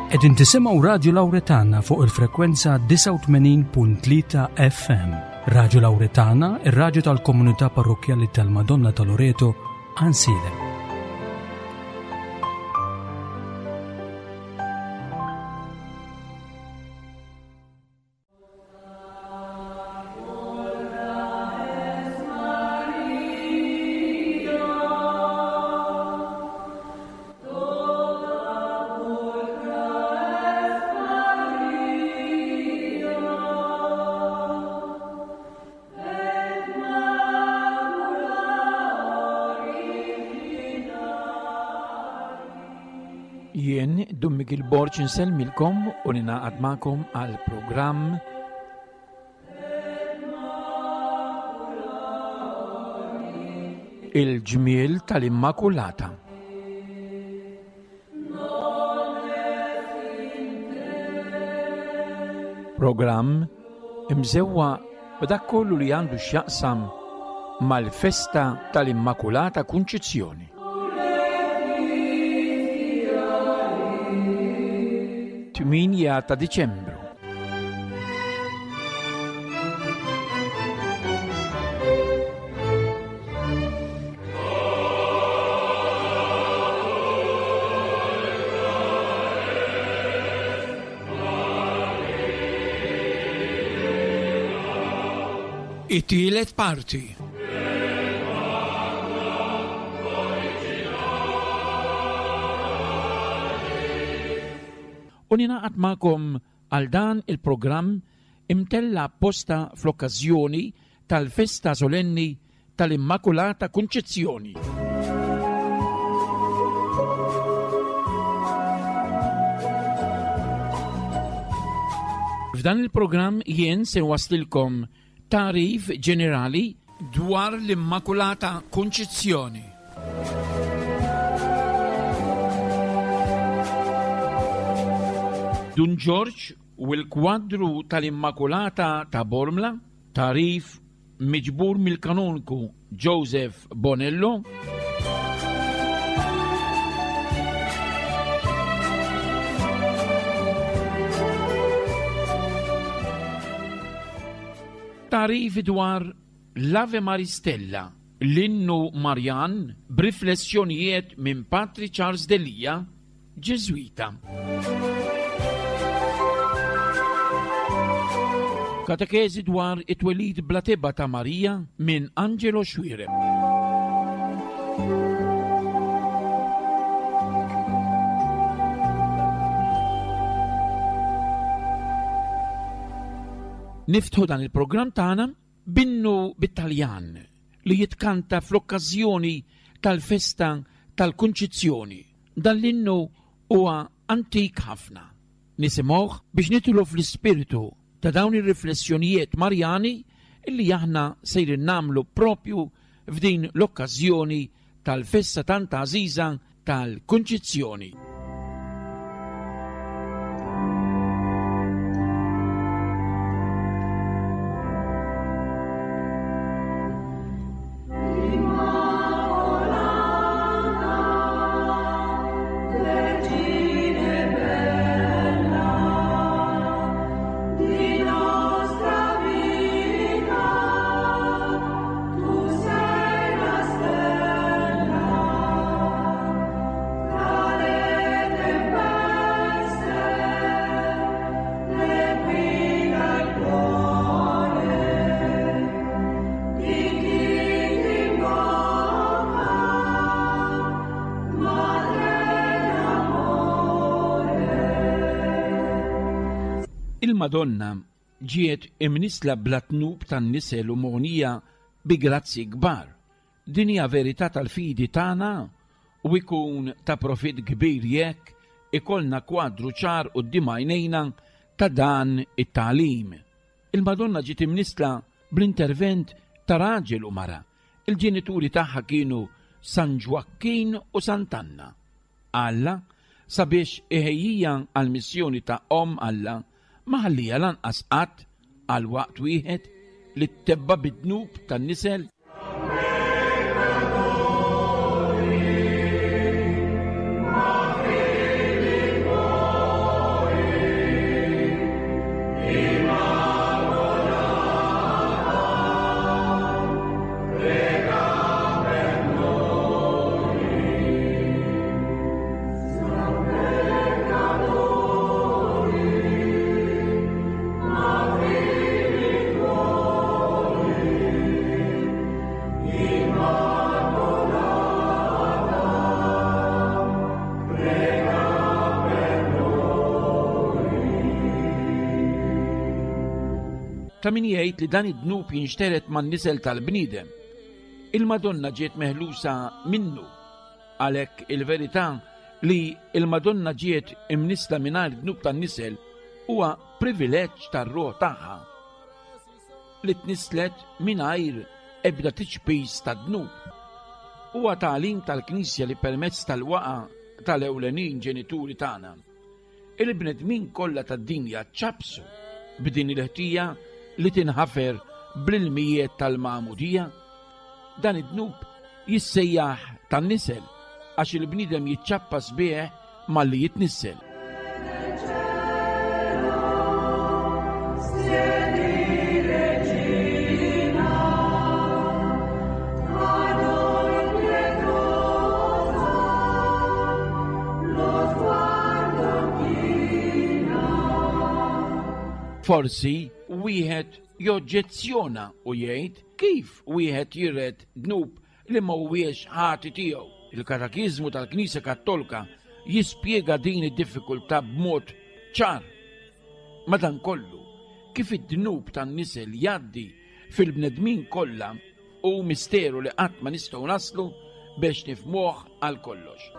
Qegħdin tisimgħu Radju Lawretana fuq il-frekwenza 89.3 FM. Radju Lawretana, ir-radju tal-komunità parrokkjali tal-Madonna ta' Loreto, Ansilem. Jien Dun Miguel Borg insellmilkom u ninaqad magħkom għal programm Il-ġmiel tal-Immakulata. Programm imżewwa b'dak kollu li għandu x'jaqsam mal-festa tal-Immakulata Kunċizzjoni. 8 ta' Diċembru. It-tielet parti. U ninaqat magħkom għal dan il-programm imtella' apposta fl-okkażjoni tal-festa solenni tal-Immakulata Kunċizzjoni. F'dan il-programm jien se nwaslilkom tagħrif ġenerali dwar l-Immakulata Kunċizzjoni. Dun Ġorġ u l-kwadru tal-Immakulata ta' Bormla, tagħrif miġbur mill-Kanonku Joseph Bonello. Tagħrif dwar l-Ave Maris Stella, l-innu Marjan b'riflessjonijiet minn Patri Charles Delia, Ġiżwita. Katekeżi dwar it-twelid bla tebgħa ta' Marija minn Angelo Xuereb. Niftħu dan il-programm tagħna b'innu bit-Taljan li jitkanta fl-okkażjoni tal-festa tal-Kunċizzjoni. Dan l-innu huwa antik ħafna. Nisimgħuh biex nidħlu fl-ispirtu ta' dawn ir-riflessjonijiet Marjani li aħna sejrin nagħmlu propju f'din l-okkażjoni tal-festa tant għażiża tal-Kunċizzjoni. Il-Madonna ġiet imnissla bla dnub tan-nisel u mogħnija bi grazzji kbar. Din hija verità tal-fidi tagħna u jkun ta' profitt kbir jekk ikollna kwadru ċar quddiem għajnejna ta' dan it-tagħlim. Il-Madonna ġiet imnissla bl-intervent ta' raġel u mara. Il-ġenituri tagħha kienu San Ġwakkin u Sant'Anna. Alla, sabiex iħejjija għall-missjoni ta' Omm Alla, ma ħallieha lanqas qatt għal waqt wieħed li ttebba' bid-dnub tan-nisel. Ta' min jgħid li dan id-dnub jinxtered man-nisel tal-bniedem. Il-Madonna ġiet meħlusa minnu. Għalhekk il-verità li l-Madonna ġiet imnissla mingħajr dnub tan-nisel huwa privileġġ tar-ruħ tagħha li tnisslet mingħajr ebda tiċpis ta' dnub. Huwa tagħlim tal-Knisja li permezz tal-waqa tal-ewlenin ġenituri tagħna Il-bnedmin kollha tad-dinja ċċappsu b'din il-ħtija li tinħafer bl-ilmijiet tal-magħmudija. Dan id-dnub jissejjaħ tan-nisel għax il-bniedem jiċċappas bih malli jitnissel. Forsi wieħed joġġezzjona u jgħid kif wieħed jiret dnub li ma huwiex ħati tiegħu. Il-Katekiżmu tal-Knisja Kattolka jispjega din id-diffikultà b'mod ċar. Madankollu, kif id-dnub tan-nisel jgħaddi fil-bnedmin kollha Hu misteru li qatt ma nistgħu naslu biex nifhmuh għal kollox.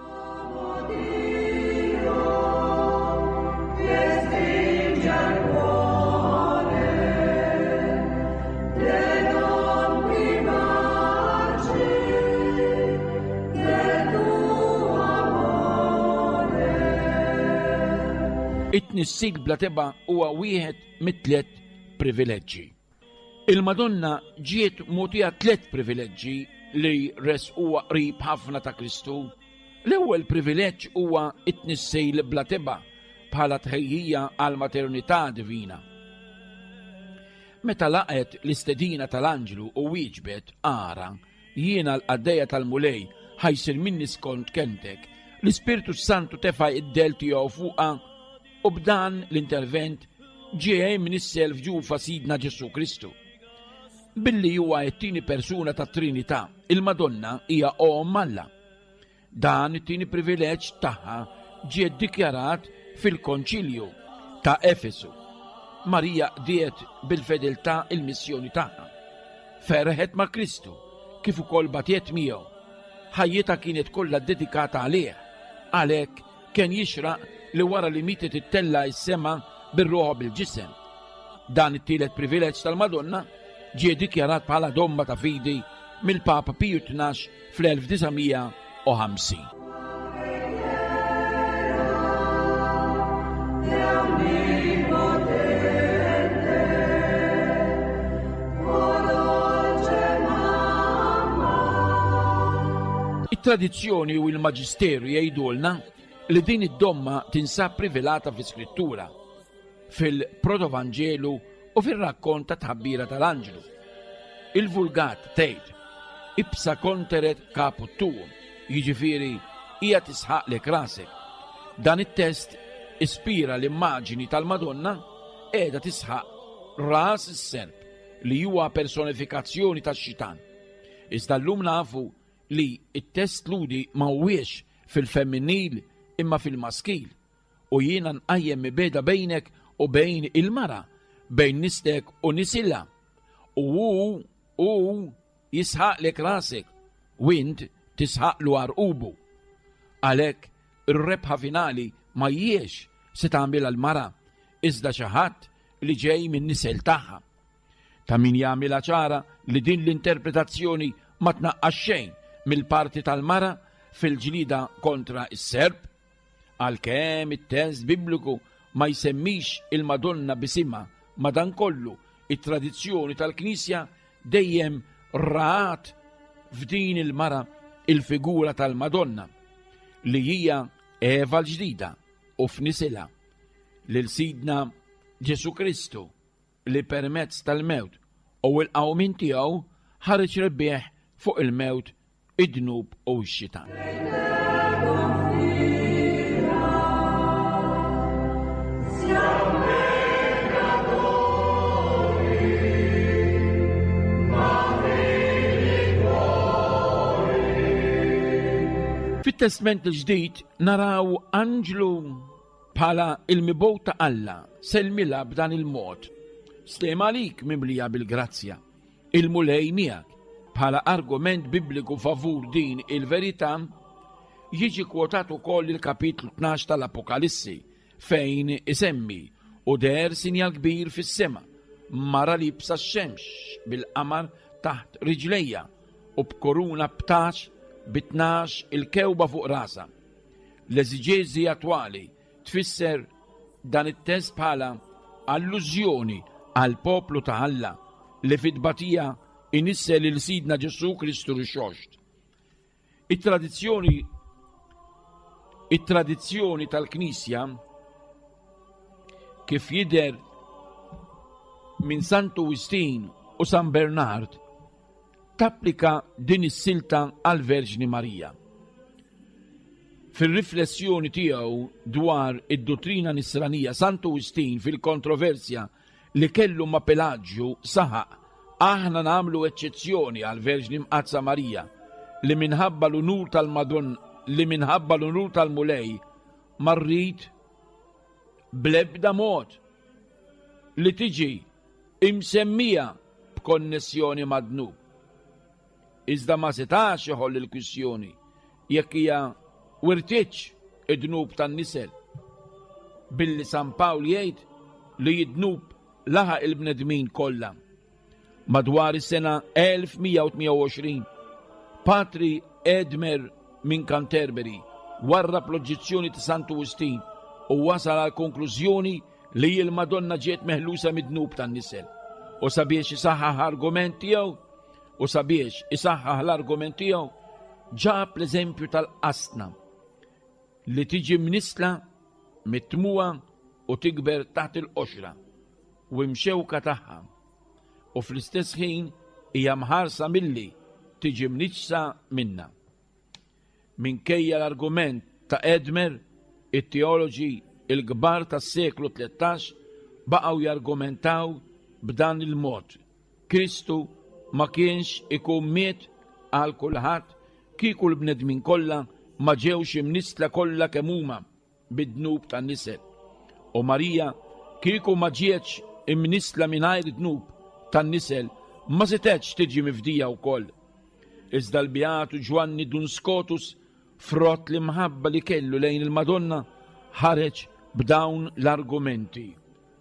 It-tnissil bla tebgħa huwa wieħed mit-tliet privileġġi. Il-Madonna ġiet mogħtija tlett privileġġi li resquha qrib ħafna ta' Kristu. L-ewwel privileġġ huwa t-tnissejl bla tebgħa bħala tħejjija għall-maternità divina. Meta laqgħet l-istedina tal-anġlu u wieġbet, Ara, jiena l-qaddejja tal-Mulej, ħa jsir minni skont kelmtek, l-Ispirtu s-Santu tefa' id-dell tiegħu fuqha U b'dan l-intervent ġie imnissel f'ġufa Sidna Ġesù Kristu. Billi huwa t-tieni persuna tat-Trinità, il-Madonna hija Omm Alla. Dan it-tieni privileġġ tagħha ġie ddikjarat fil-Konċilju ta' Efesu. Marija qdiet bil-fedeltà il-missjoni tagħha. Ferħet ma' Kristu kif ukoll batiet miegħu. Ħajjitha kienet kollha ddedikata għalih. Għalhekk Kien jixraq li wara li mietet ittella' s-sema bir-ruħ u bil-ġisem. Dan it-tielet privileġġ tal-Madonna ġie dikjarat bħala domma ta' fidi mill-Papa Piju 12 fl-1950. It-tradizzjoni u l-maġisteru jgħidulna li din id-domma tinsab rivelata fl-Iskrittura, fil-Protovanġelu u fir-rakkont ta' tħabbira tal-anġlu. Il-Vulgat tgħid ipsa conteret caput tuum, jiġifieri hija tisħaqlek rasek. Dan it-test ispira l-immaġini tal-Madonna qiegħda tisħaq ras is-serp li huwa personifikazzjoni tax-xitan. Iżda llum nafu li t-test Lhudi ma huwiex fil-femminil imma fil-maskil, u jiena nqajjem mibegħda bejnek u bejn il-mara, bejn nislek u nisilha, u hu hu jisħaqlek rasek u int tisħaqlu għarqubu. Għalhekk ir-rebħa finali ma hijiex se tagħmilha l-mara, iżda xi ħadd li ġej min-nisel tagħha. Ta' min jagħmilha ċara li din l-interpretazzjoni ma tnaqqas xejn mill-parti tal-mara fil-ġlieda kontra s-serp. Għalkemm it-test Bibliku ma jsemmix il-Madonna b'isimha, madankollu it-tradizzjoni tal-Knisja dejjem rat f'din il-mara il-figura tal-Madonna li hija Eva l-ġdida u f'nisilha lil Sidna Ġesù Kristu li permezz tal-mewt u l-qawmien tiegħu ħareġ rebbieħ fuq il-mewt, id-dnub u x-xitan. Fit-Testment il-Ġdid naraw anġlu Bħala il-Mibgħut ta' Alla, sellmilha b'dan il-mod. Sliem għalik mimlija bil-grazzja, il-Mulej miegħek. Bħala argument bibliku favur din il-verità, jiġi kwotat ukoll il-kapitlu 12 tal-Apokalissi fejn isemmi u deher sinjal kbir fis-sema, mara liebsa x-xemx bil-qamar taħt riġlejha u b'kuruna b'taġ bi 12 il-kewba fuq rasha. L-eżiġeżi attwali tfisser dan it-test bħala allużjoni għall-poplu ta' Alla li fit-tbatija inissel lil Sidna Ġesù Kristu Rixoxt. It-tradizzjoni it-tradizzjoni tal-Knisja kif jidher minn Santu Wistin u San Bernard tapplika din is-silta għall-Verġni Marija. Fir-riflessjoni tiegħu dwar id-duttrina Nisranija, Santu Wistin fil-kontroversja li kellu ma' Pelaġju saħaq, Aħna nagħmlu eċċezzjoni għall-Verġni Mqaddsa Marija li minħabba l-unur tal-Madon li minħabba l-unur tal-Mulej ma rrid bl-ebda mod li tiġi imsemmija b'konnessjoni mad-dnub. Iżda ma setax iħoll il-kwistjoni jekk hija wirtitx id-dnub tan-nisel. Billi San Pawl jgħid li d-dnub laħaq il-bnedmin kollha. Madwar is-sena 1128, Patri Edmer minn Canterbury warrab l-oġġezzjoni ta' Santu Wistin u wasal għal konklużjoni li l-Madonna ġiet meħlusa mid-dnub tan-nisel. U sabiex isaħħaħ argument tiegħu, u sabiex isaħħaħ l-argument tiegħu, ġab l-eżempju tal-qasna li tiġi mnissla mit-tmugħa u tikber taħt il-qoxra u imxewka tagħha u fl-istess ħin hija mħarsa milli tiġi mniġġsa minnha. Minkejja l-argument ta' Edmer, it-teoloġi l-kbar tas-seklu 13 baqgħu jargumentaw b'dan il-mod, Kristu ma kienx ikun miet għal kulħadd kieku l-bnedmin kollha ma ġewx imnissla kollha kemm huma bid-dnub tan-nisel. U Marija kieku ma ġietx imnissla mingħajr dnub tan-nisel ma setgħetx tiġi mifdija wkoll. Iżda l-Beatu Ġwanni Dun Scotus frott l-imħabba li kellu lejn il-Madonna ħareġ b'dawn l-argumenti.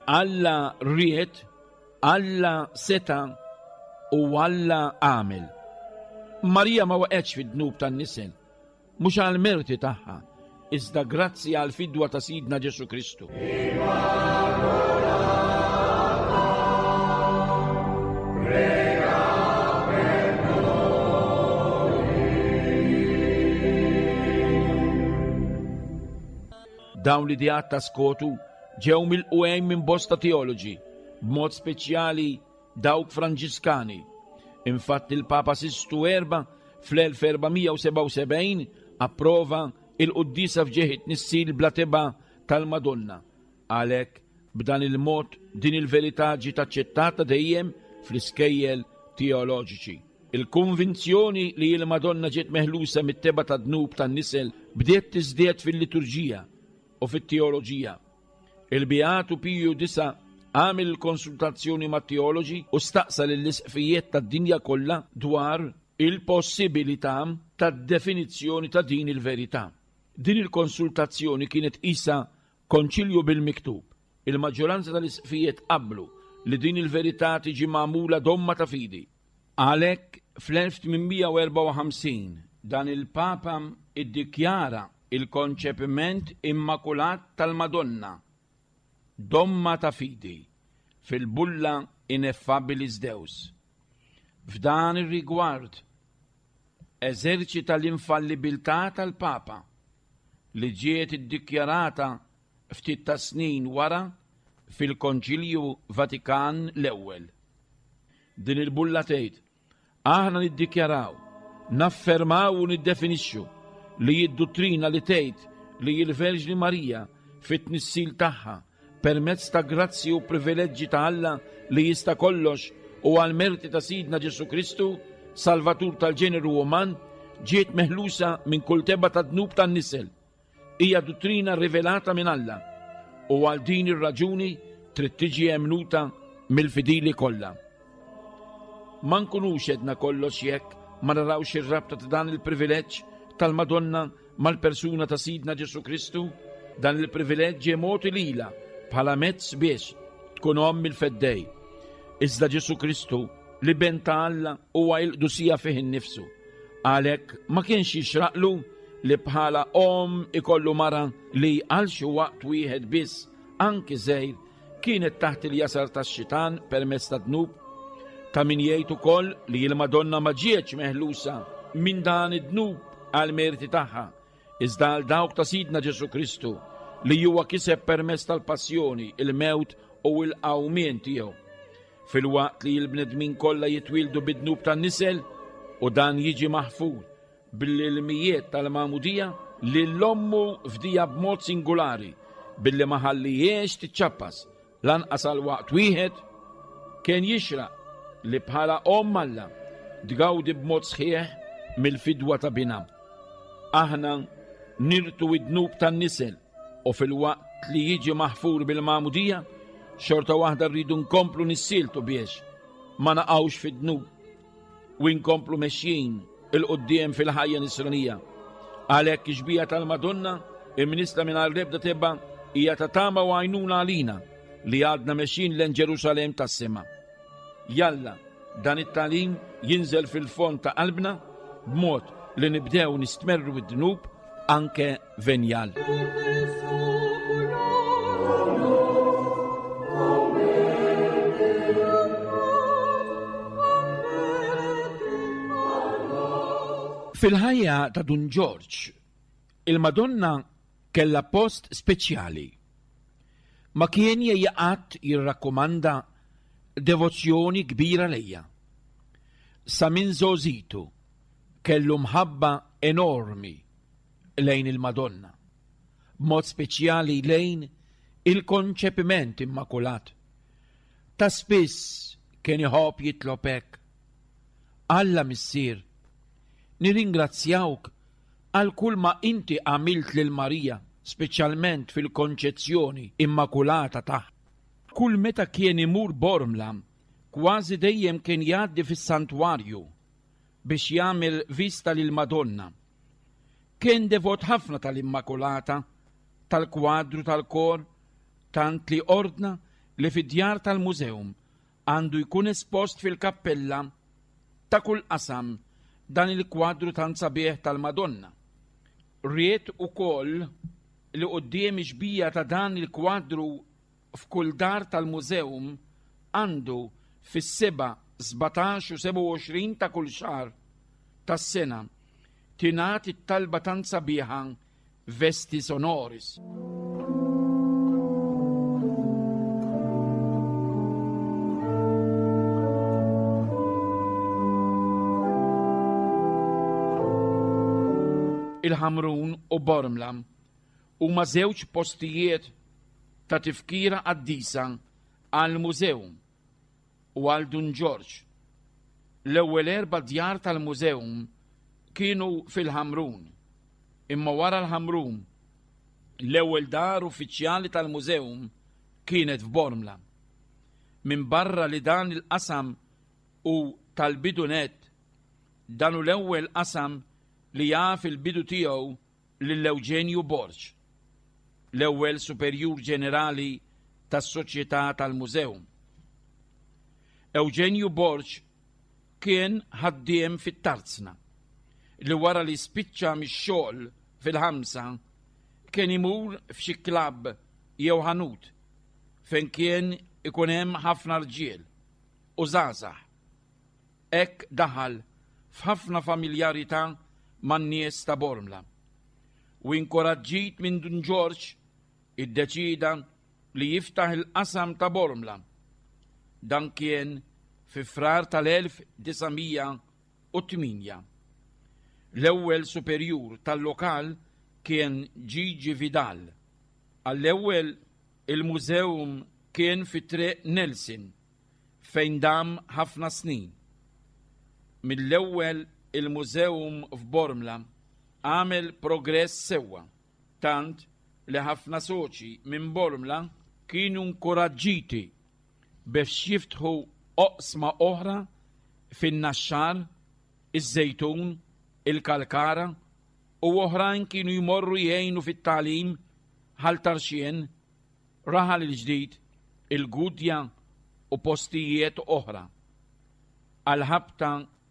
Alla ried, Alla seta' u Alla għamel. Marija ma waqgħetx fid-dnub tan-nisel, mhux għall-merti tagħha, iżda grazzi għall-fidwa ta' Sidna Ġesù Kristu. Dawn l-ideat ta' Skotu ġew milqugħin minn bosta teoloġi, b'mod speċjali dawk Franġiskani. Infatti l-Papa Sistu Erba' fl-1477 approva il-quddiesa f'ġieħ it-tnissil bla tebgħa tal-Madonna. Għalhekk, b'dan il-mod din il-verità ġiet aċċettata dejjem fl-iskejjel teoloġiċi. Il-konvinzjoni li l-Madonna ġiet meħlusa mit-tebgħa tad-dnub tan-nisel bdiet tiżdied fil-liturġija u fit-teoloġija. Il-Beatu Piju Disa' għamel il-konsultazzjoni mat-teoloġi u staqsa lill-isqfijiet tad-dinja kollha dwar il-possibilità tad-definizzjoni ta' din il-verità. Din il-konsultazzjoni kienet qisha konċilju bil-miktub. Il-maġġoranza tal-isqfijiet qablu li din il-verità tiġi magħmula domma ta' fidi. Għalhekk, fl-1854 dan il-Papa iddikjara il-konċepiment immakulat tal-Madonna, domma ta' fidi, fil-bulla Ineffabilis Deus. F'dan ir-rigward, eżerċita l-infallibilità tal-Papa, li ġiet iddikjarata ftit tas-snin wara fil-Konċilju Vatikan l-Ewwel. Din il-bulla tgħid, Aħna niddikjaraw, naffermaw u niddefinixxu li d-duttrina li tgħid li l-Verġni Marija fit-tnissil tagħha permezz ta' grazzji u privileġġi ta' Alla li jista' kollox u għall-merti ta' Sidna Ġesù Kristu, Salvatur tal-ġeneru uman, ġiet meħlusa minn kull tebgħa ta' dnub tan-nisel. Hija duttrina rivelata minn Alla u għal din ir-raġuni trid tiġi emmnuta. mill-fidili kollha. Ma nkunux edna kollox jekk ma narawx ir-rabta ta' dan il-privileġġ tal-Madonna mal-persuna ta' Sidna Ġesù Kristu. Dan il-privileġġ ġie mogħti lilha bħala mezz biex tkun omm il-Feddej. Iżda Ġesù Kristu, l-Iben ta' Alla, huwa il-qdusija fih innifsu. Għalhekk ma kienx jixraqlu li bħala omm ikollu mara li għal xi waqt wieħed biss, anki żgħir, kienet taħt il-jasar tax-xitan permezz ta' dnub. Ta' min jgħid ukoll li l-Madonna ma ġietx meħlusa minn dan id-dnub għal merti tagħha, iżda għal dawk ta' Sidna Ġesù Kristu li huwa kiseb permezz tal-passjoni, il-mewt u l-qawmien tiegħu. Filwaqt li l-bnedmin kollha jitwieldu bid-dnub tan-nisel u dan jiġi maħfur bl-ilmijiet tal-magħmudija, lil ommu fdija b'mod singulari billi ma ħallijiex tiċċappas lanqas għal waqt wieħed, kien jixraq li bħala omm Alla tgawdi b'mod sħiħ mill-fidwa ta' binha. Aħna nirtu id-dnub tan-nisel u filwaqt li jiġi maħfur bil-magħmudija, xorta waħda rridu nkomplu nissieltu biex ma naqgħux fid-dnub u nkomplu mexjin 'il quddiem fil-ħajja nisranija. Għalhekk ix-xbieha tal-Madonna imnissla mingħajr l-ebda tebgħa hija ta' tama u għajnuna għalina li għadna mexjin lejn Ġerusalemm tas-sema. Jalla dan it-tagħlim jinżel fil-fond ta' qalbna b'mod li nibdew nistmerru d-dnub anke venjal. Fil-ħajja ta' Dun Ġorġ, il-Madonna kellha post speċjali. Ma kien jgħejja qatt jirrakkomanda devozzjoni kbira lejha. Sa minn żgħożitu kellu mħabba enormi lejn il-Madonna, b'mod speċjali lejn il-Konċepiment Immakulat. Ta' spiss kien iħobb jitlob hekk, Alla Missier, nirringrazzjawk għal kull ma inti għamilt lil Marija, speċjalment fil-Konċezzjoni Immakulata tagħha. Kull meta kien imur Bormla, kważi dejjem kien jgħaddi fis-santwarju biex jagħmel vista lill-Madonna. Kien devot ħafna tal-Immakulata, tal-kwadru tal-kor, tant li ordna li fid-djar tal-mużewm għandu jkun espost fil-kappella ta' kull qasam dan il-kwadru tant sabiħ tal-Madonna. Ried ukoll li quddiem ix-xbija ta' dan il-kwadru f'kull dar tal-mużewm għandu fis-7, 17 u 27 ta' kull xahar tas-sena tingħad it-talba tant sabiħa Vestis Honoris. Il-Ħamrun u Bormla huma żewġ postijiet ta' tifkira qaddisa għall-mużewm u għal Dun Ġorġ. L-ewwel erba' djar tal-mużewm kienu fil-Ħamrun, imma wara l-Ħamrun, l-ewwel dar uffiċjali tal-mużewm kienet f'Bormla. Minbarra li dan il-qasam hu tal-bidu nett, dan hu l-ewwel qasam li jaf il-bidu tiegħu lil Ewġenju Borg, l-ewwel Superjur Ġenerali tas-Soċjetà tal-Mużewm. Ewġenju Borg kien ħaddiem fit-tarzna li wara li spiċċa mix-xogħol fil-ħamsa kien imur f'xi klabb jew ħanut fejn kien ikun hemm ħafna rġiel u żgħażagħ. Hekk daħal f'ħafna familjarità man-nies ta' Bormla u inkoraġġit minn Dun Ġorġ iddeċieda li jiftaħ il-qasam ta' Bormla. Dan kien fi Frar tal-1908. L-ewwel superjur tal-lokal kien Gigi Vidal. Għall-ewwel il-mużewm kien fi Triq Nelson fejn dam ħafna snin. Mill-ewwel il-mużewm f'Bormla għamel progress sewwa, tant li ħafna soċi minn Bormla kienu nkuraġġiti. biex jiftħu oqsma oħra fin-Naxxar, iż-Żejtun, il-Kalkara u oħrajn kienu jmorru jgħinu fit-tagħlim Ħal Tarxien, Raħal il-Ġdid, il-Gudja u postijiet oħra. Għall-ħabta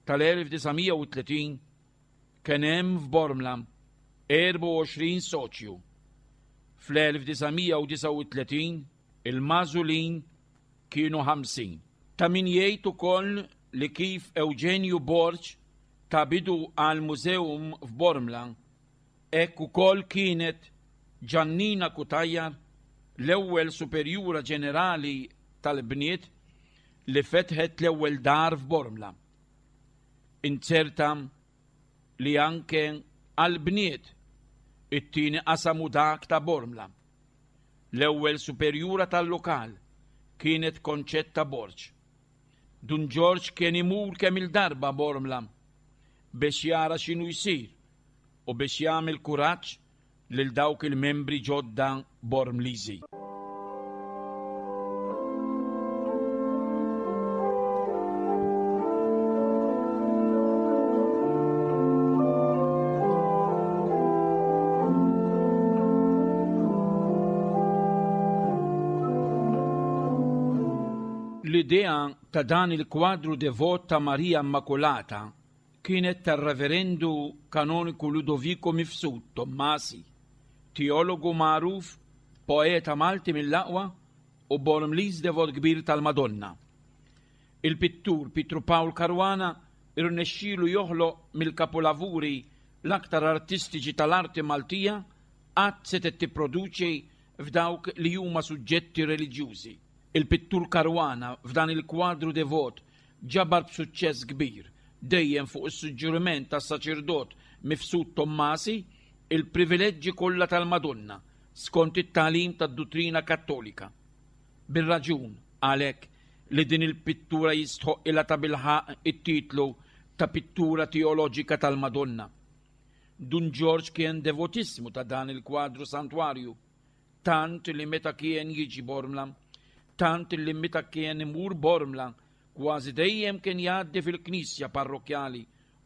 tal-1930 kien hemm f'Bormla 24 soċju. Fl-1939 il-magħżulin kienu 50. Ta' min jgħid ukoll li kif Ewġenju Borg ta bidu għall-museum f'Bormla, hekk ukoll kienet Ġannina Cutajar l-ewwel Superjura Ġenerali tal-bniet li fetħet l-ewwel dar f'Bormla. Inzerta li anke għall-bniet it-tieni qasam hu dak ta' Bormla. L-ewwel superjura tal-lokal kienet Concetta Borg. Dun Ġorġ kien imur kemm-il darba Bormla biex jara x'inhu jsir u biex jagħmel kuraġġ lil dawk il-membri ġodda Bormliżi. L-idea ta' dan il-kwadru devot ta' Marija Immakulata kienet tar-Reverendu Kanoniku Ludovico Mifsud Tommasi, teologu magħruf, poeta Malti mill-aqwa u Bormliż devot kbir tal-Madonna. Il-pittur Pietru Pawl Caruana rnexxielu joħloq mill-kapulavuri l-aktar artistiċi tal-arti Maltija qatt setgħet tipproduċi f'dawk li huma suġġetti reliġjużi. Il-pittur Caruana f'dan il-kwadru devot ġabar b'suċċess kbir, dejjem fuq is-suġġeriment tas-saċerdot Mifsud Tommasi, il-privileġġi kollha tal-Madonna skont it-tagħlim tad-duttrina Kattolika. Bir-raġun, għalhekk, li din il-pittura jistħoqqilha tabilħaqq it-titlu ta' pittura teoloġika tal-Madonna. Dun Ġorġ kien devotissimu ta' dan il-kwadru santwarju, tant li meta kien jiġi Bormla, tant li meta kien imur Bormla, kważi dejjem kien jgħaddi fil-knisja parrokkjali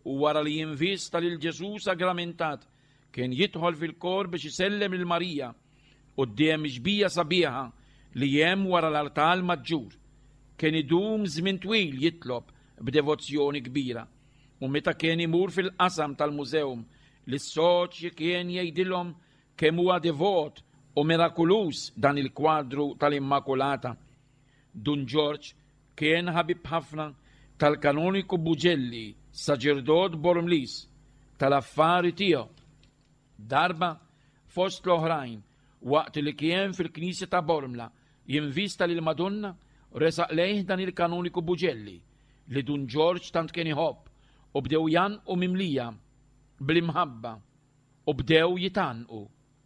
u wara li jinvista lil Ġesù sagramentat, kien jidħol fil-kor biex isellem lil Marija quddiem ix-xbija sabiħa li hemm wara l-artal maġġur. Kien idum żmien twil jitlob b'devozzjoni kbira u meta kien imur fil-qasam tal-mużewm lis-soċji kien jgħidilhom kemm huwa devot u mirakuluż dan il-kwadru tal-Immakulata. Dun Ġorġ kien ħabib ħafna tal-Kanoniku Bugelli, saċerdot Bormliż, tal-affari tiegħu. Darba, fost l-oħrajn, waqt li kien fil-knisja ta' Bormla jinvista lill-Madonna, resaq lejh dan il-Kanoniku Bugelli, li Dun Ġorġ tant kien iħobb, u bdew jgħannqu mimlija bl-imħabba u bdew jitgħannqu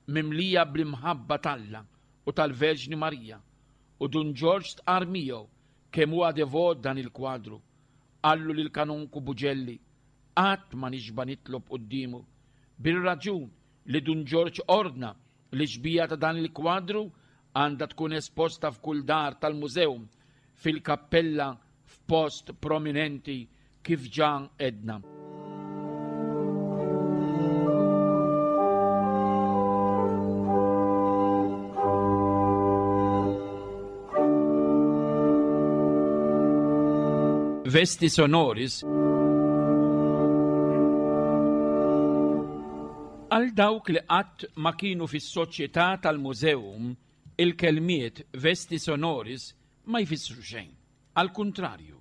mimlija bl-imħabba t'Alla u tal-Verġni Marija, u Dun Ġorġ stqarr miegħu kemm huwa devot dan il-kwadru. Qallu lill-Kanonku Bugelli, Qatt ma nixba' nitlob quddiemu. Bir-raġun li Dun Ġorġ ordna li xbieha ta' dan il-kwadru għandha tkun esposta f'kull dar tal-mużewm, fil-kappella f'post prominenti kif ġa għedna. Vesti sonoris Għal dawk li qatt ma kienu fis-soċjetà tal-mużewm, il-kelmiet vesti sonoris ma jfissru xejn. Għall-kuntrarju,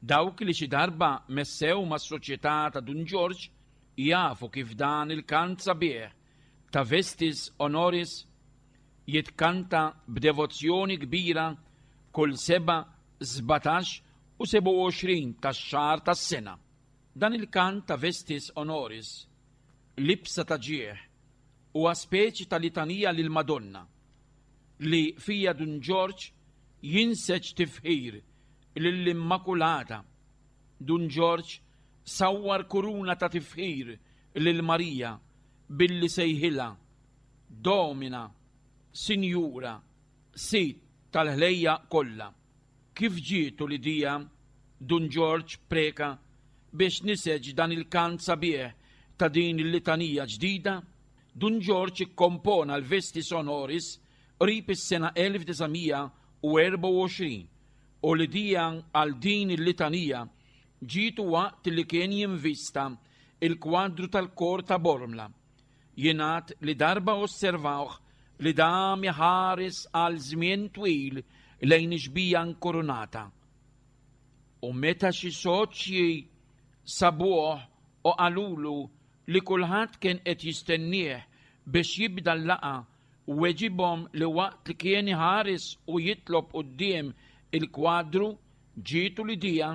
dawk li xi darba messew mas-soċjetà ta' Dun Ġorġ jafu kif dan il-kant sabiħ ta' Vestis Honoris jitkanta b'devozzjoni kbira kull 7, 17 u 27 tax-xahar tas-sena. Dan il-kant ta' Vestis Honoris, libsa ta' ġieħ, huwa speċi ta' litanija lill-Madonna, li fija Dun Ġorġ jinseġ tifħir lill-Immakulata. Dun Ġorġ sawwar kuruna ta' tifħir lil Marija billi sejħilha Domina, Sinjura, Sid tal-ħlejjaq kollha. Kif ġietu l-idea Dun Ġorġ Preca biex niseġ dan il-kant sabiħ ta' din il-litanija ġdida? Dun Ġorġ ikkompona l-Vestis Honoris qrib is-sena 1924 u l-idea għal din il-litanija ġietu waqt li kien jinvista l-kwadru tal-kor ta' Bormla. Jingħad li darba osservawh li dam iħares għal żmien twil lejn ix-xbieha nkurunata. U meta xi soċji sabuh u qalulu li kulħadd kien qed jistennieh biex jibda l-laqgħa weġibhom li waqt li kien iħares u jitlob quddiem il-kwadru ġietu l-idea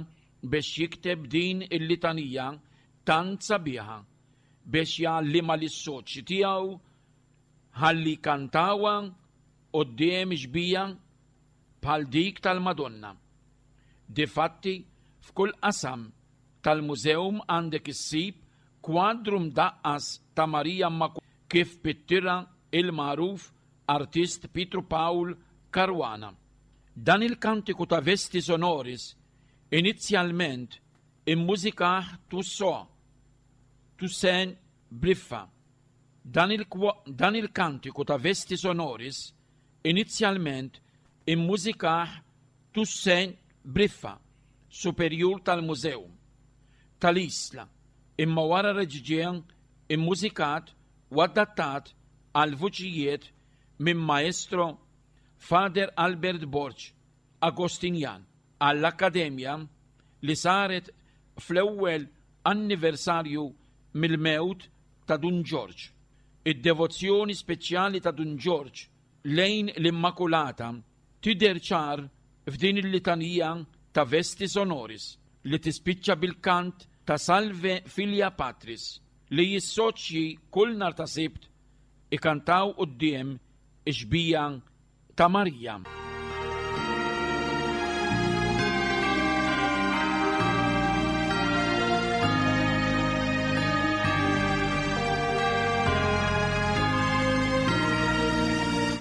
biex jikteb din il-litanija tant sabiħa biex jgħallimha lis-soċji tiegħu ħalli jkantawha quddiem xbieha bħal dik tal-Madonna. Difatti, f'kull qasam tal-mużewm għandek issib kwadru mdaqqas ta' Marija Immakulata kif pittirha il-magħruf artist Pietru Pawl Caruana. Dan il-kantiku ta' Vestis Honoris inizjalment immużikah Toussaint, Toussaint Briffa. Dan il-dan il-kantiku ta' Vestis Honoris inizjalment immużikah Toussaint Briffa, superjur tal-mużew tal-Isla, imma wara reġa' ġie immużikat u adattat għall-vuċijiet minn Maestro Father Albert Borg, Agostinjan, għall-Akkademja li saret fl-ewwel anniversarju mill-mewt ta' Dun Ġorġ. Id-devozzjoni speċjali ta' Dun Ġorġ lejn l-Immakulata tidher ċar f'din il-litanija ta' Vestis Honoris li tispiċċa bil-kant ta' Salve Filia Patris li s-soċji kull nhar ta' Sibt ikantaw quddiem ix-xbieha ta' Marija.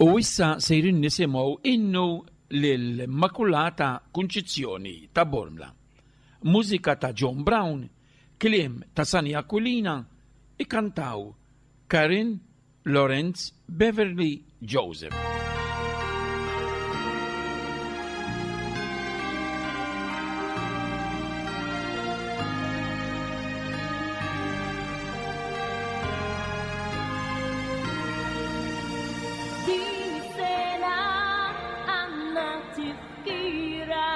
U issa sejrin nisimgħu innu lill-Immakulata Kunċizzjoni ta' Bormla. Mużika ta' John Brown, kliem ta' Sani Aquilina, ikantaw Karin Lorenz Beverly Joseph. Din is-sena għandna tifkira.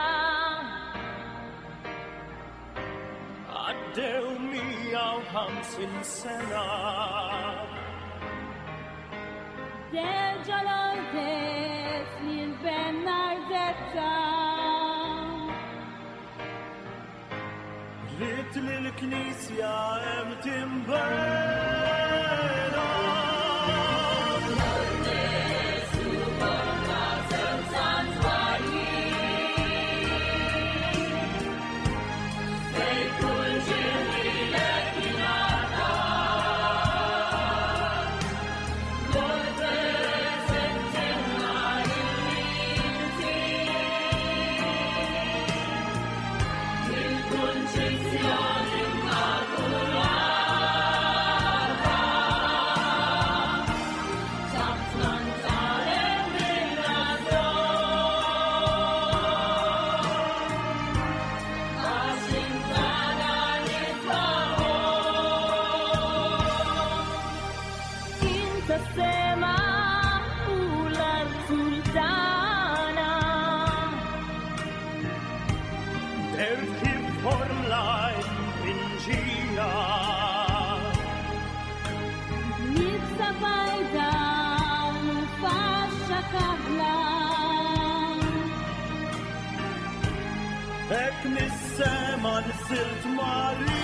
Għaddew 150 sena. Terġa' Lourdes lil Bernardetta. Ridt li l-Knisja hemm tinbena. Inta sema u l-art sultana. Dert kif formla inġina. Nibsa bajda u faxxa kaħla. Hekk mis-sema nżilt Marija.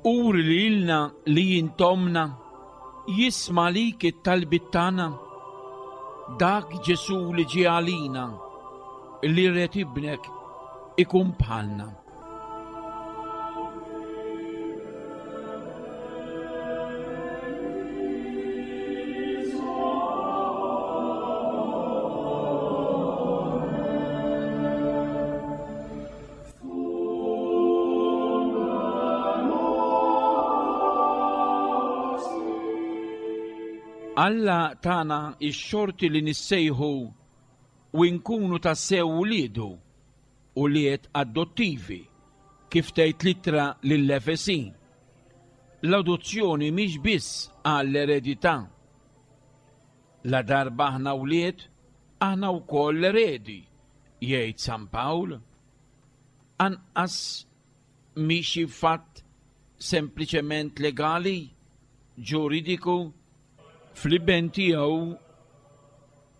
Uri lilna li int ommna, jisma' għalik it-talbiet tagħna. Dak Ġesù li ġie għalina, li ried ibnek ikun bħalna. Alla tana x-xorti li nissejħu u nkunu tassew uliedu, ulied adottivi, kif tgħid l-ittra lill-Efesin. L-adozzjoni mhix biss għall-eredità. Ladarba aħna wlied, aħna wkoll eredi, jgħid San Pawl. Anqas mhi xi fatt sempliċement legali, ġuridiku. Fl-Iben tiegħu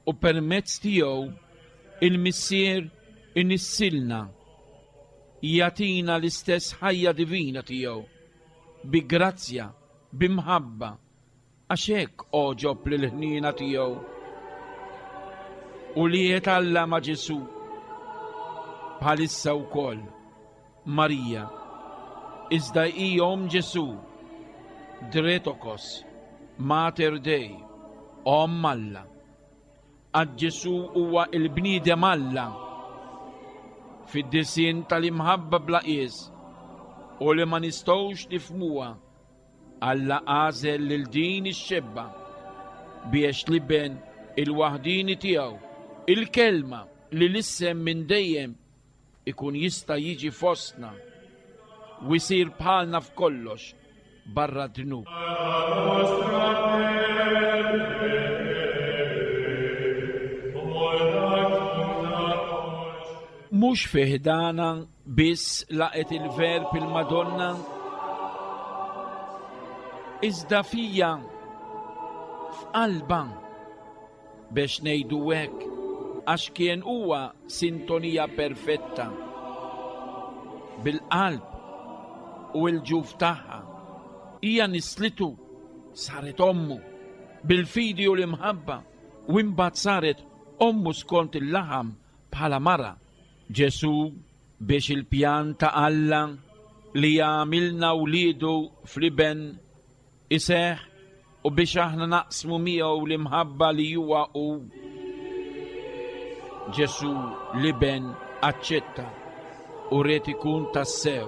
u permezz tiegħu il-Missier inissilna, jagħtina l-istess ħajja divina tiegħu, bi grazzja, bi mħabba, Għax hekk għoġob lill-ħniena tiegħu. Ulied Alla ma' Ġesù. Bħalissa wkoll Marija, iżda hi omm Ġesù, Dretokos, Mater Dei, Omm Alla. Għad Ġesù huwa il-bniedem Alla fid-disinn tal-imħabba bla qies u li ma nistgħux nifhmuha. Alla għażel lil din ix-xebba biex l-Iben il-waħdieni tiegħu, il-Kelma li lissen minn dejjem, ikun jista' jiġi fostna u jsir bħalna f'kollox barra d-dnub. Mhux fi ħdanha biss laqgħet il-Verb il-Madonna, iżda fija, f'qalbha, bex ngħidu hekk, għax kien huwa sintonija perfetta bil-qalb u l-ġuf tagħha. Hija nislitu, saret ommu, bil-fidi u l-imħabba, u imbagħad saret ommu skont il-laħam bħala mara. Ġesù biex il-pjan ta' Alla li jagħmilna wliedu fl-Iben iseħħ u biex aħna naqsmu miegħu l-imħabba li huwa hu. Ġesù l-Iben aċċetta u ried ikun tassew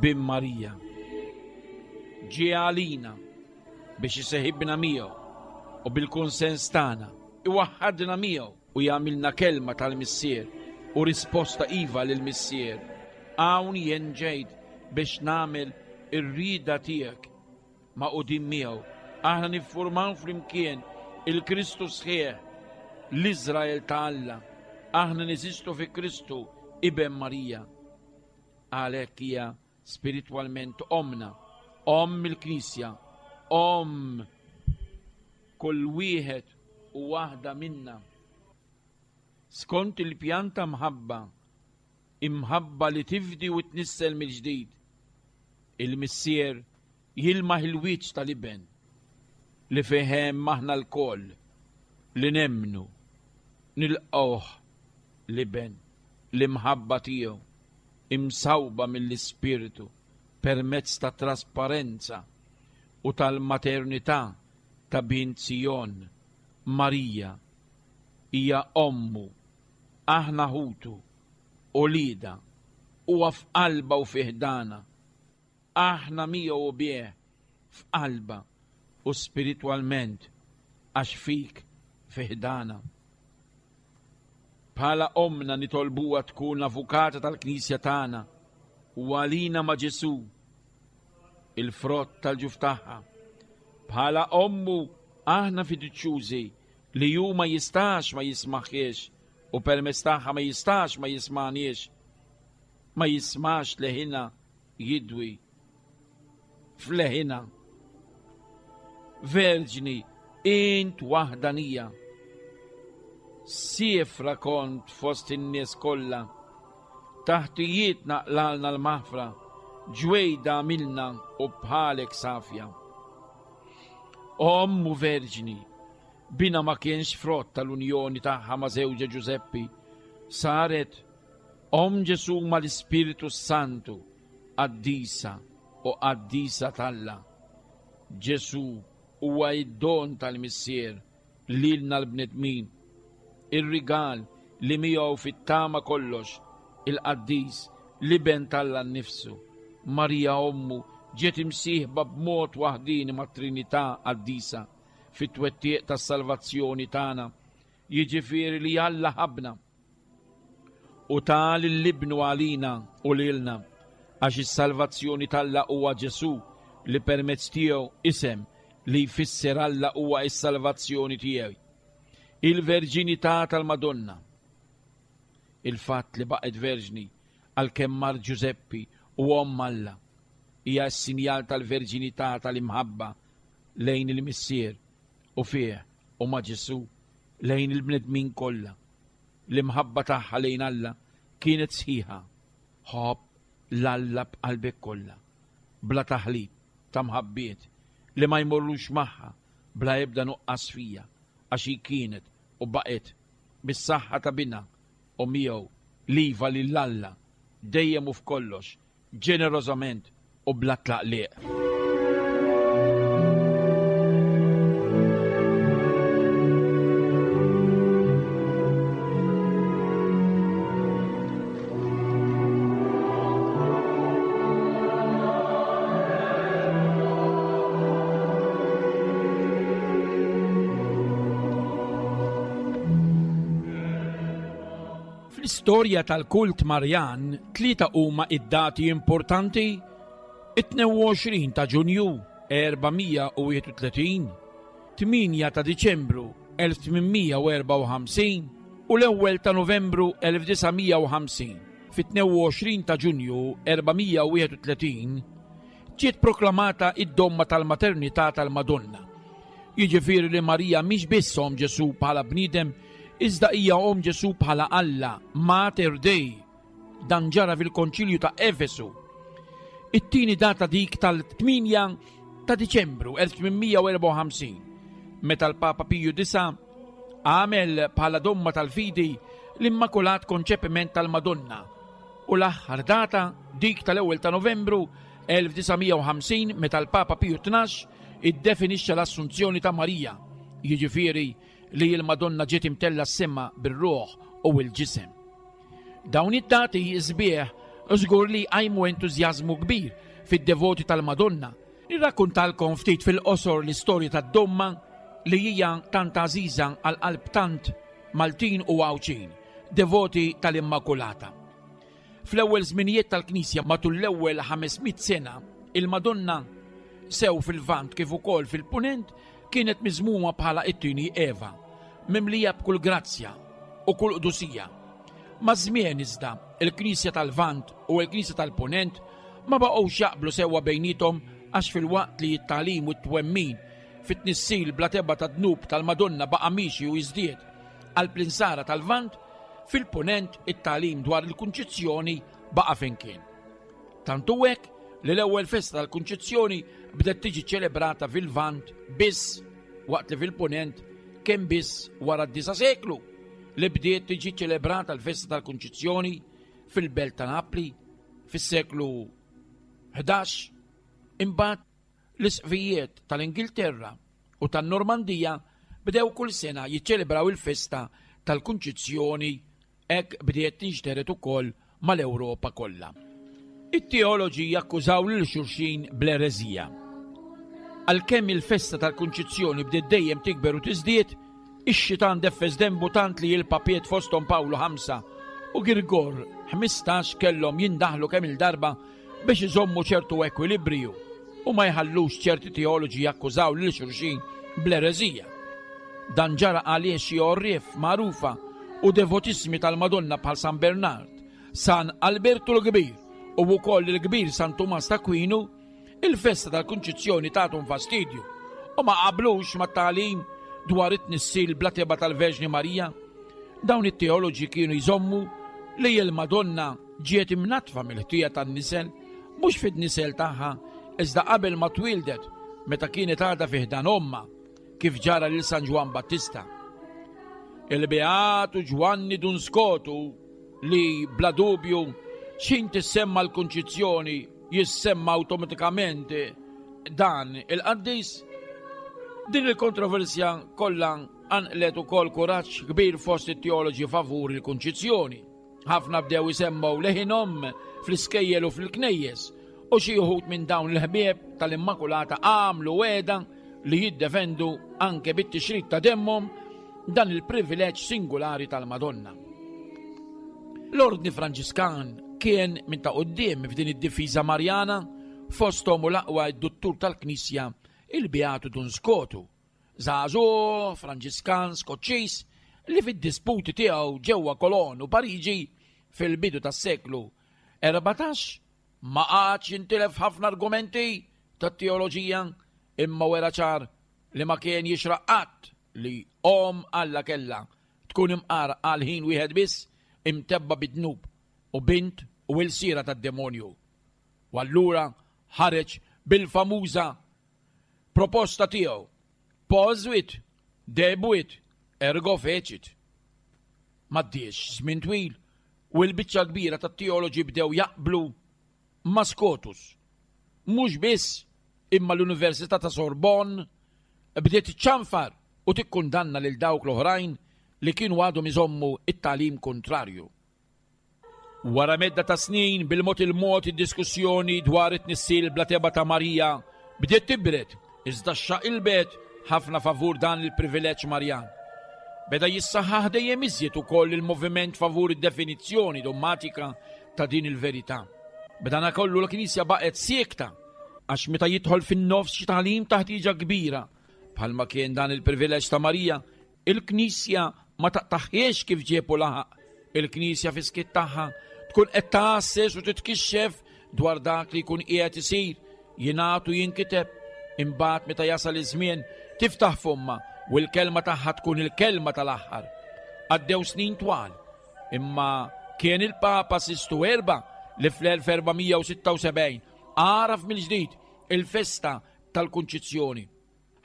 bin Marija. Ġie għalina biex iseħibna miegħu u bil-kunsens tagħna iwaħħadna miegħu u jagħmilna kelma tal-Missier u risposta iva lill-Missier, Hawn jien ġejt biex nagħmel ir-rieda tiegħek. Magħqudin miegħu, aħna niffurmaw flimkien il-Kristu sħiħ, l-Iżrael ta' Alla. Aħna neżistu fi Kristu, Iben Marija. Għalhekk hija spiritwalment ommna, omm il-Knisja, omm kull wieħed u waħda minna. Skont il-pjan ta' mħabba, imħabba li tifdi u tnissel mill-ġdid, il-Missier jilmaħ il-wiċċ tal-Iben li fih hemm aħna lkoll li nemmnu, nilqgħuh l-Iben, l-imħabba tiegħu imsawba mill-Ispirtu permezz tat-trasparenza u tal-maternità ta' bint Sijon, Marija, hija ommu, aħna ħutu, uliedha, huwa f'qalbha u fi ħdanha, aħna miegħu u bih, f'qalbha u spiritwalment għax fik fi ħdanha. Bħala ommna nitolbuha tkun l-avukata tal-Knisja tagħna u għalina ma' Ġesù, il-frott tal-ġuf tagħha. Bħala ommu aħna fiduċjużi li hu ma jistax ma jismaħiex u permezz tagħha ma jistax ma jismagħniex, ma jismax leħinha jidwi f'leħinha. Verġni, int waħdanija. Siefra kont fost in-nies kollha. Taħtijiet naqlalna l-maħfra. Ġwejda għamilna u bħalek safja. Omm u verġni, bina ma kienx frott tal-unjoni tagħha ma' żewġha Ġużeppi, saret Omm Ġesù mal-Ispirtu s-Santu, qaddisa u qaddisa t'Alla. Ġesù huwa id-don tal-Missier lilna l-bnedmin, ir-rigal li miegħu fit-tama kollox, il-Qaddis, l-Iben t'Alla nnifsu. Marija Ommu ġiet imsieħba b'mod waħdieni mat-Trinità Qaddisa fit-twettiq tas-salvazzjoni tagħna, jiġifieri li Alla ħabbna u ta lil Ibnu għalina u lilna, għax is-salvazzjoni t'Alla huwa Ġesù li permezz tiegħu isem li jfisser Alla huwa s-salvazzjoni tiegħi. Il-verġinità tal-Madonna. Il-fatt li baqgħet verġni għalkemm mar Ġużeppi u omm Alla hija s-sinjal tal-verġinità tal-imħabba lejn il-Missier u fih u ma' Ġesù lejn il-bnedmin kollha. L-imħabba tagħha lejn Alla kienet sħiħa. Ħobb 'l Alla b'qalbek kollha, bla taħlit ta' mħabbiet li ma jmorrux magħha bla ebda nuqqas fija, għax hi kienet u baqgħet bis-saħħa ta' Binha u miegħu l-iva lil Alla dejjem u f'kollox ġenerożament u bla tlaqliq. Fl-istorja tal-kult Marjan, tlieta huma id-dati importanti, it-22 ta' Ġunju 431, 8 ta' Diċembru 1854 u l-ewwel ta' Novembru 1950. Fit-22 ta' Ġunju 431 ġiet proklamata id-domma tal-maternità tal-Madonna. Jiġifieri li Marija mhix biss omm Ġesù bħala bniedem Iżda hija omm Ġesù bħala Alla, Mater Dei. Dan ġara fil-Konċilju ta' Efesu. It-tieni data dik tal-8 ta' Diċembru 1854, meta l-Papa Piju IX għamel bħala domma tal-fidi l-Immakulat Konċepiment tal-Madonna u l-aħħar data dik tal-ewwel ta' Novembru 1950 meta l-Papa Piju 12 iddefinixxa l-Assunzjoni ta' Marija, jiġifieri li l-Madonna ġiet imtella s-sema bir-ruħ u l-ġisem. Dawn id-dati sbieħ żgur li jqajmu entużjażmu kbir fid-devoti tal-Madonna. Nirrakkuntalkom ftit fil-qosor l-istorja tad-domma li hija tant għażiża għal qalb tant Maltin u Għawdxin, devoti tal-Immakulata. Fl-ewwel żminijiet tal-Knisja matul l-ewwel 500 sena, il-Madonna sew fil-Lvant kif ukoll fil-Punent kienet miżmuma bħala it-tieni Eva, mimlija b'kull grazzja u kull qdusija. Maż-żmien iżda, il-Knisja tal-Lvant u l-Knisja tal-Punent ma baqgħux jaqblu sewwa bejniethom għax filwaqt li t-tagħlim u t-twemmin fit-tnissil bla tebgħa tad-dnub tal-Madonna baqa' miexi u jiżdied qalb l-Insara tal-Lvant, fil-Punent it-tagħlim dwar il-Kunċizzjoni baqa' fejn kien. Tant hu hekk li l-ewwel festa tal-Kunċizzjoni bdiet tiġi ċelebrata fil-Lvant biss waqt li fil-Punent kien biss wara d-disa' seklu li bdiet tiġi ċelebrata l-festa tal-Kunċizzjoni fil-belt ta' Napli fis-seklu 11. Imbagħad l-isqfijiet tal-Ingilterra u tan-Normandija bdew kull sena jiċċelebraw il-festa tal-Kunċizzjoni. Hekk bdiet tinxtered ukoll mal-Ewropa kollha. It-teoloġi jakkużaw lil xulxin bl-ereżija. Għalkemm il-festa tal-Kunċizzjoni bdiet dejjem tikber u tiżdied, ix-xitan deffes denbu tant li l-papiet fosthom Pawlu 5 u Girgor 15 kellhom jindaħlu kemm-il darba biex iżommu ċertu ekwilibriju u ma jħallux ċerti teoloġi jakkużaw lil xulxin bl-ereżija. Dan ġara għaliex xi għorrief magħrufa u devotissimi tal-Madonna bħal San Bernard, San Albertu l-Kbir u wkoll il-kbir San Tumas ta' Kwinu, il-festa tal-Kunċizzjoni tagħthom fastidju u ma qablux mat-tagħlim dwar it-tnissil bla tebgħa tal-Verġni Marija. Dawn it-teoloġi kienu jżommu li l-Madonna ġiet imnaddfa mill-ħtija tan-nisel. mhux fid-nisel tagħha iżda qabel ma twieldet meta kienet għadha fi ħdan ommha, kif ġara lil San Ġwann Battista. Il-Beatu Ġwanni Dun Skotu li bla dubju x'ħin tissemma l-Kunċizzjoni jissemma awtomatikament dan il-qaddis. Din il-kontroversja kollha qanqlet ukoll kuraġġ kbir fost it-teoloġi favur il-Kunċizzjoni. Ħafna bdew isemmgħu leħinhom fl-iskejjel u fil-knejjes u xi wħud minn dawn il-ħbieb tal-Immakulata għamlu wegħda li jiddefendu anke bit-tixrid ta' demmhom dan il-privileġġ singulari tal-Madonna. L-Ordni Franġiskan kien minn ta' quddiem f'din id-difiża Marjana fosthom u l-aqwa d-duttur tal-Knisja il-Beatu Dun Skotu, żagħżugħ Franġiskan Skoċċiż li fid-disputi tiegħu ġewwa Cologne u Pariġi fil-bidu tas-seklu 14 ma qagħadx jintilef ħafna argumenti tat-teoloġija imma wera ċar li ma kien jixraq qatt li omm Alla kellha tkun imqar għal ħin wieħed biss imtebba' bid-dnub u bint u ilsira tad-demonju. U allura ħareġ bil-famuża proposta tiegħu, Posuit, debuit, ergo fecit. M'għaddiex żmien twil u l-biċċa l-kbira tat-teoloġi bdew jaqblu ma' Scotus. Mhux biss, imma l-Università ta' Sorbonne bdiet iċċanfar u tikkundanna lil dawk l-oħrajn li kienu għadhom iżommu t-tagħlim kuntrarju. Wara medda ta' snin, bil-mod il-mod id-diskussjoni dwar it-tnissil bla tebgħa ta' Marija bdiet tibred, iżda xxaqilbet ħafna favur dan il-privileġġ Marjan. Beda jissaħħaħ dejjem iżjed ukoll il-moviment favur id-definizzjoni dommatika ta' din il-verità. B'danakollu l-Knisja baqgħet siekta għax meta jidħol fin-nofs xi tagħlim ta' ħtieġa kbira, bħalma kien dan il-privileġġ ta' Marija, il-Knisja ma taqtagħhiex kif ġieb u laħaq. Il-Knisja fis-skiet tagħha tkun qed tgħasses u titkixxef dwar dak li jkun qiegħed isir, jingħad u jinkiteb. Imbagħad meta jasal iż-żmien tiftaħ fommha u l-kelma tagħha tkun il-kelma tal-aħħar. Għaddew snin twal, imma kien il-Papa Sistu Erba' li fl-1476 għaraf mill-ġdid il-festa tal-Kunċizzjoni.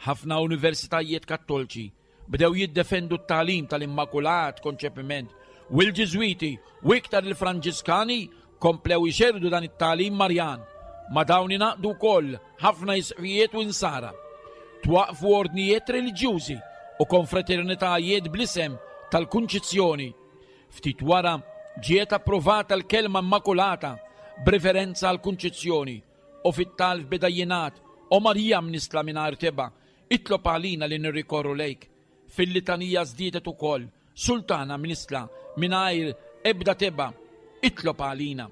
Ħafna universitajiet Kattolċi bdew jiddefendu t-tagħlim tal-Immakulat Konċepiment u l-Ġiżwiti u iktar il-Franġiskani komplew ixerrdu dan it-tagħlim Marjan. Ma' dawn ingħaqdu wkoll ħafna isqfijiet u insara. Twaqqfu ordnijiet reliġjużi u konfraternitajiet bl-isem tal-Kunċizzjoni. Ftit wara ġiet approvata l-kelma Immakulata b'riferenza għall-Kunċizzjoni U fit-talb beda jingħad, O Marija mnissla mingħajr tebgħa, itlob għalina li nirrikorru lejk. Fil-litanija żdiedet ukoll, Sultana mnissla mingħajr ebda tebgħa, itlob għalina.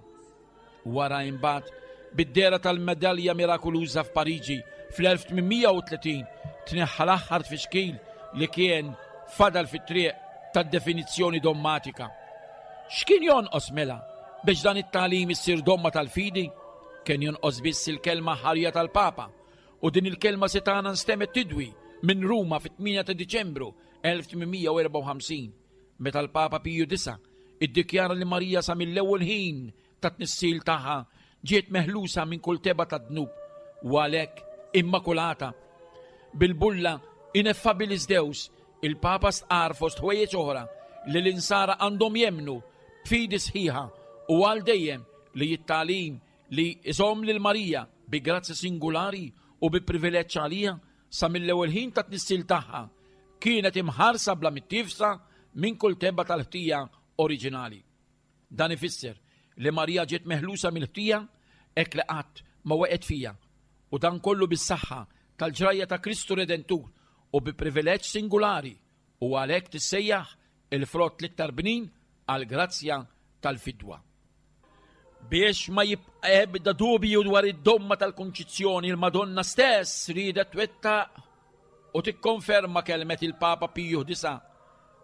Wara imbagħad, bid-dehra tal-medalja mirakuluża f'Pariġi fl-1830, tneħħa l-aħħar tfixkil li kien fadal fit-triq tad-definizzjoni dommatika. X'kien jonqos mela biex dan it-tagħlim issir domma tal-fidi? Kien jonqos biss il-kelma ħarja tal-Papa, u din il-kelma setgħana nstemgħet tidwi minn Ruma fit-8 ta' Diċembru 1854, meta l-Papa Piju IX iddikjara li Marija sa mill-ewwel ħin tat-tnissil tagħha ġiet meħlusa minn kull tebgħa tad-dnub u għalhekk immakulata. Bil-bulla Ineffabilis Deus, il-Papa stqarr fost ħwejjeġ oħra li l-insara għandhom jemmnu b'fidi sħiħa u għal dejjem li t-tagħlim li jżomm lil Marija bi grazzja singulari u bi privileġġ għaliha sa mill-ewwel ħin tat-tnissil tagħha kienet imħarsa bla mittiefsa minn kull tebgħa tal-ħtija oriġinali. Dan ifisser li Marija ġiet meħlusa mill-ħtija hekk li qatt ma waqgħet fiha, u dan kollu bis-saħħa tal-ġrajja ta' Kristu Redentur u bi privileġġ singulari u għalhekk tissejjaħ il-frott l-iktar bnin għall-grazzja tal-fidwa. Biex ma jibqa' ebda dubju dwar id-domma tal-Kunċizzjoni, il-Madonna stess riedet twettaq u tikkonferma kelmet il-Papa Piju IX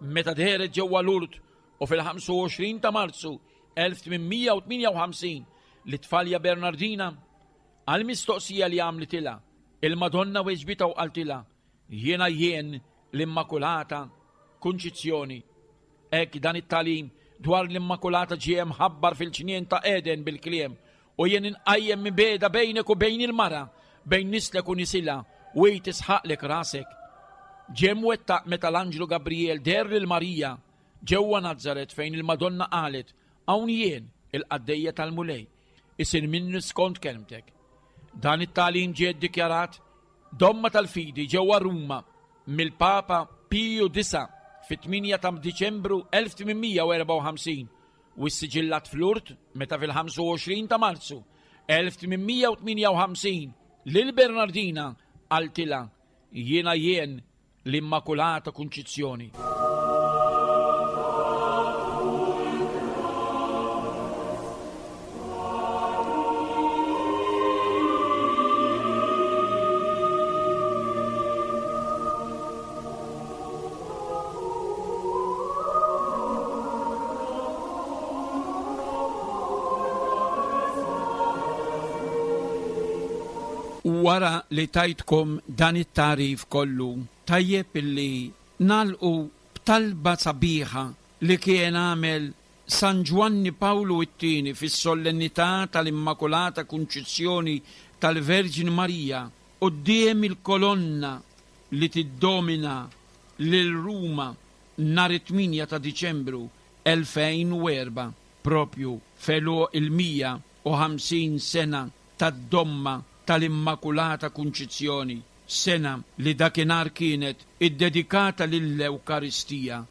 meta dehret ġewwa Lourdes u fil-25 ta' Marzu 1858 lit-tfalja Bernardina għall-mistoqsija li għamlitilha, il-Madonna weġbitha u qaltilha, Jiena jien l-Immakulata Kunċizzjoni. Hekk dan it-tagħlim dwar l-Immakulata ġie mħabbar fil-ġnien ta' Eden bil-kliem. U jien inqajjem mibegħda bejnek u bejn il-mara, bejn nislek u nisilha, u hi tisħaqlek rasek. Ġie mwettaq meta l-anġlu Gabrijel deher lil Marija ġewwa Nazaret fejn il-Madonna qalet, Hawn jien, il-qaddejja tal-Mulej, isir minni skont kelmtek. Dan it-tagħlim ġie ddikjarat domma tal-fidi ġewwa Ruma mill-Papa Piju Disa' fit-8 ta' Diċembru 1854 u ssiġillat f'Lourdes meta fil-25 ta' Marzu 1858 lil Bernardina qaltilha Jiena jien l-Immakulata Kunċizzjoni. Wara li tajtkom dan it-tagħrif kollu, tajjeb illi nagħlqu b'talba sabiħa li kien għamel San Ġwanni Pawlu t-Tieni fis-Solennità tal-Immakulata Kunċizzjoni tal-Verġni Marija quddiem il-kolonna li tiddomina lil Ruma nhar it-8 ta' Diċembru 2004, proprju f'għeluq il-150 sena tad-domma tal-Immakulata Kunċizzjoni, sena li dakinhar kienet iddedikata lill-Ewkaristija.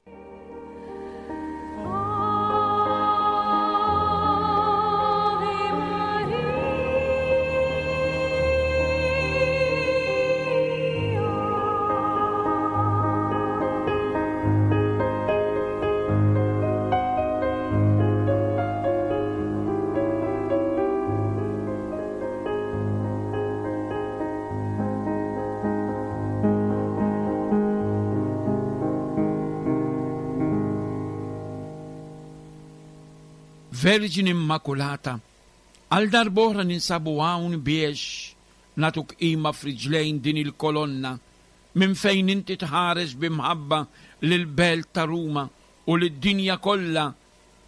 Verġni Immakulata, għal darb'oħra ninsabu hawn biex nagħtuk qima f'riġlejn din il-kolonna minn fejn inti tħares bi mħabba lill-belt ta' Ruma u lid-dinja kollha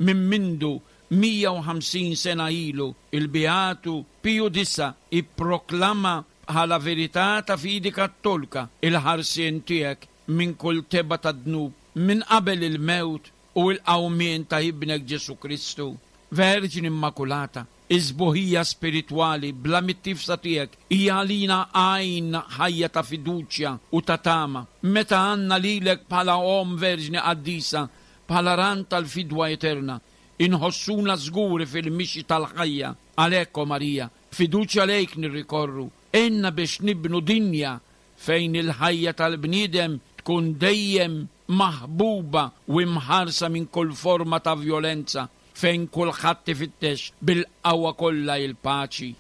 minn mindu 150 sena ilu il-Beatu Piju Disa' ipproklama bħala verità ta' fidi Kattolka il-ħarsien tiegħek minn kull tebgħa ta' dnub minn qabel il-mewt u l-qawmien ta' Ibnek Ġesù Kristu. Verġni Immakulata, is-sbuħija spiritwali bla mittiefsa tiegħek hija għalina għajn ħajja ta' fiduċja u ta' tama. Meta għandna lilek bħala Omm Verġni Qaddisa, bħala ran tal-fidwa eterna, inħossuna żguri fil-mixi tal-ħajja. Għalhekk, o Marija, b'fiduċja lejk nirrikorru, għinna biex nibnu dinja fejn il-ħajja tal-bniedem tkun dejjem maħbuba u imħarsa minn kull forma ta' vjolenza, fejn kulħadd ifittex bil-qawwa kollha il-paċi.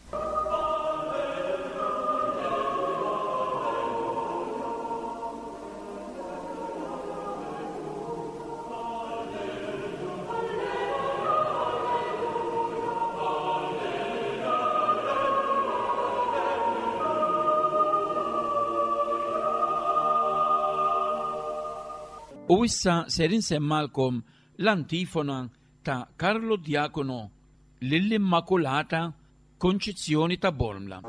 U issa ser insemmalkom l-antifona ta' Carlo Diacono lill-Immakulata Konċizzjoni ta' Bormla.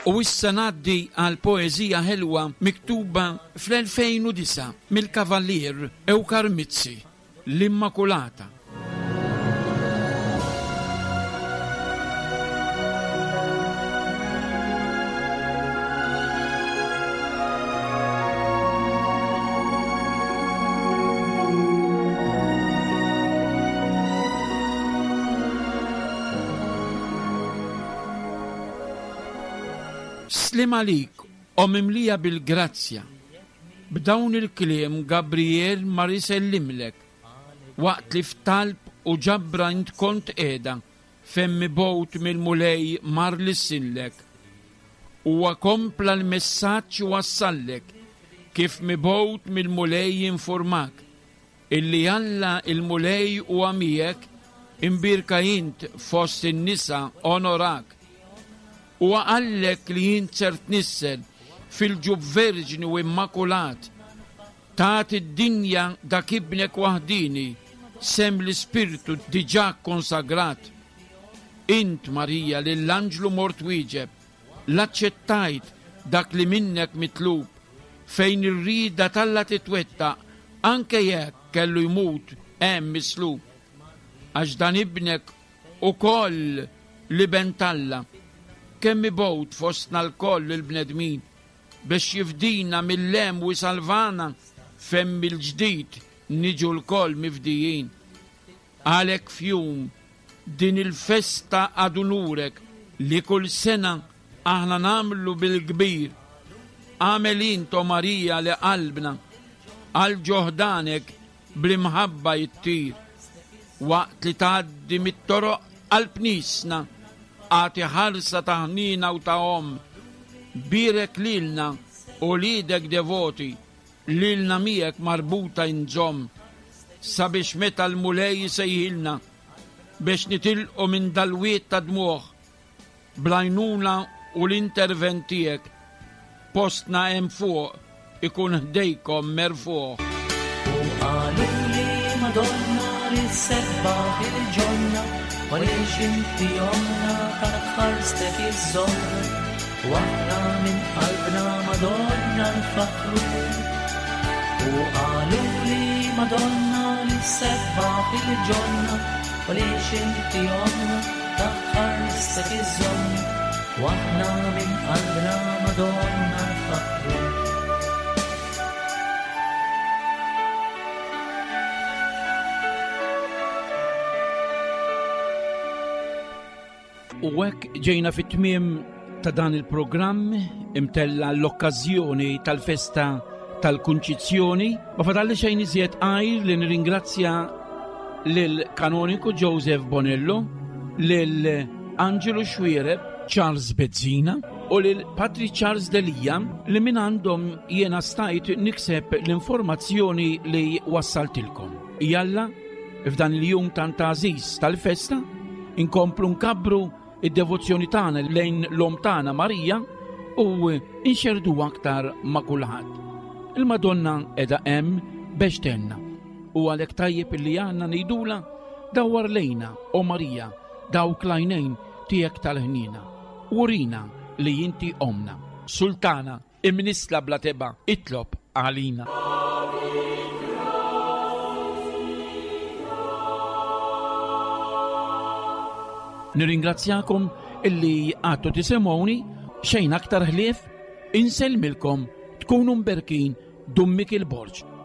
U issa ngħaddi għal poeżija ħelwa miktuba fl-2009 mill-Kavallier Ewkar Mizzi, L-Immakulata. Sliem għalik, O mimlija bil-grazzja. B'dawn il-kliem Gabriel mar isellimlek, waqt li f'talb u ġabra int kont qiegħda fejn mibgħut mill-Mulej mar lissinlek. Huwa kompla l-messaġġ u wassallek kif mibgħut mill-Mulej infurmak Illi Alla il-Mulej huwa miegħek, imbierka int fost in-nisa, onorak. Huwa qallek li int ser tnissel fil-ġuf verġni u immakulat, tagħti d-dinja dak ibnek waħdieni, sehem l-Ispirtu diġà kkonsagrat. Int, Marija, lill-anġlu mort wieġeb, L-aċċettajt dak li minnek mitlub, fejn ir-rieda t'Alla titwettaq anke jekk kellu jmut hemm mislub. Għax dan ibnek ukoll l-Iben t'Alla, kemm mibgħut fostna lkoll il-bnedmin, biex jifdina mill-hemm u jsalvana fejn mill-ġdid niġu lkoll mifdijin. Għalhekk f'jum din il-festa ad unurek li kull sena aħna nagħmlu bil-kbir, agħmel int, o Marija, li qalbna għal ġo ħdanek bl-imħabba jittir. Waqt li tgħaddi mit-toroq qalb niesna, agħti ħarsa ta' ħniena u ta' omm. Bierek lilna, uliedek devoti, Lilna miegħek marbuta inżomm, sabiex meta l-Mulej isejħilna biex nitilqu minn dal-wied ta' dmugħ, bl-għajnuna u l-intervent tiegħek, postna hemm fuq ikun ħdejkom merfugħ. U qaluli Madonna li ssebbaħ il-ġonna, għaliex inti ommna taħt ħarstek iżżommna. U aħna minn qalbna Madonna nfakkru. U qaluli Madonna li ssebbaħ il-ġonna, għaliex inti ommna taħt ħarstek iżżommna. U aħna minn qalbna Madonna nfakkru. U hekk ġejna fit-tmiem ta' dan il-programm imtella l-okkażjoni tal-festa tal-Kunċizzjoni. Ma fadalli xejn iżjed għajr li nirringrazzja lil kanoniku Joseph Bonello, lil Angelo Xuereb, Charles Bezzina u lil Patri Charles Delia li minn għandhom jiena stajt nikseb l-informazzjoni li wassaltilkom. Jalla, F'dan il-jum tant għażiż tal-festa, inkomplu nkabbru id-devozzjoni tagħna lejn l-Omm tagħna Marija u nxerdu aktar ma' kulħadd. Il-Madonna qiegħda hemm biex tgħinna u għalhekk tajjeb illi aħna ngħidulha dawwar lejna, o Marija, dawk l-għajnejn tiegħek tal-ħniena. Urina li inti ommna. Sultana Imnissla bla tebgħa, itlob għalina. Nirringrazzjakom illi għadtu tisimgħuni xejn aktar ħlief insellmilkom tkunu mberkin Dun Mikiel Borg.